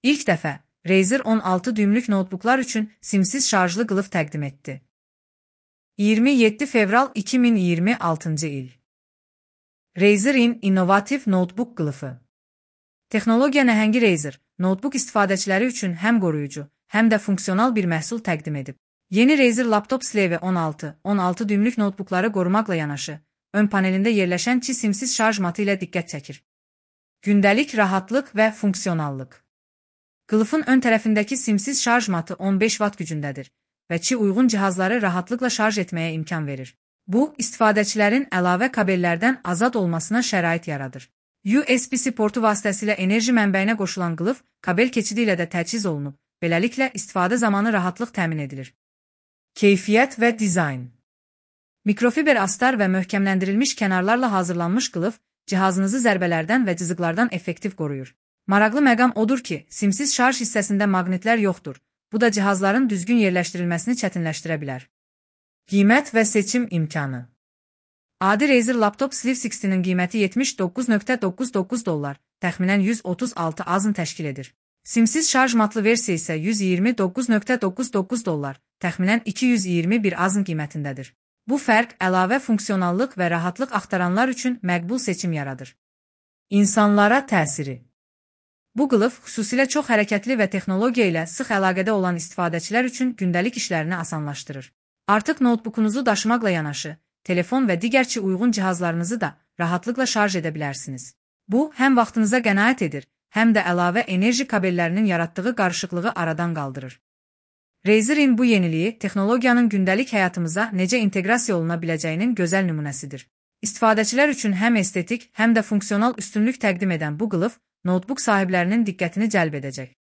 İlk dəfə Razer 16 düymlük notebooklar üçün simsiz şarjlı qılf təqdim etdi. 27 fevral 2026 il. Razer'in innovativ notebook qılıfı. Texnologiya nəhəngi Razer, notebook istifadəçiləri üçün həm qoruyucu, həm də funksional bir məhsul təqdim edib. Yeni Razer Laptop Slave 16 düymlük notebookları qorumaqla yanaşı, ön panelində yerləşən çi simsiz şarj matı ilə diqqət çəkir. Gündəlik rahatlıq və funksionallıq. Qılıfın ön tərəfindəki simsiz şarj matı 15 watt gücündədir və çi uyğun cihazları rahatlıqla şarj etməyə imkan verir. Bu, istifadəçilərin əlavə kabellərdən azad olmasına şərait yaradır. USB-C portu vasitəsilə enerji mənbəyinə qoşulan qılf, kabel keçidi ilə də təchiz olunub, beləliklə istifadə zamanı rahatlıq təmin edilir. Keyfiyyət və dizayn. Mikrofiber astar və möhkəmləndirilmiş kənarlarla hazırlanmış qılf, cihazınızı zərbələrdən və cızıqlardan effektiv qoruyur. Maraqlı məqam odur ki, simsiz şarj hissəsində maqnitlər yoxdur. Bu da cihazların düzgün yerləşdirilməsini çətinləşdirə bilər. Qiymət və seçim imkanı. Adi Razer Laptop Slave 60-nin qiyməti $79.99, təxminən 136 AZN təşkil edir. Simsiz şarj matlı versiya isə $129.99, təxminən 221 AZN qiymətindədir. Bu fərq əlavə funksionallıq və rahatlıq axtaranlar üçün məqbul seçim yaradır. İnsanlara təsiri. Bu qılf xüsusilə çox hərəkətli və texnologiya ilə sıx əlaqədə olan istifadəçilər üçün gündəlik işlərini asanlaşdırır. Artıq notebookunuzu daşımaqla yanaşı, telefon və digər uyğun cihazlarınızı da rahatlıqla şarj edə bilərsiniz. Bu, həm vaxtınıza qənaət edir, həm də əlavə enerji kabellərinin yaratdığı qarışıqlığı aradan qaldırır. Razer'in bu yeniliyi texnologiyanın gündəlik həyatımıza necə inteqrasiya oluna biləcəyinin gözəl nümunəsidir. İstifadəçilər üçün həm estetik, həm də funksional üstünlük təqdim edən bu qılf, notebook sahiblərinin diqqətini cəlb edəcək.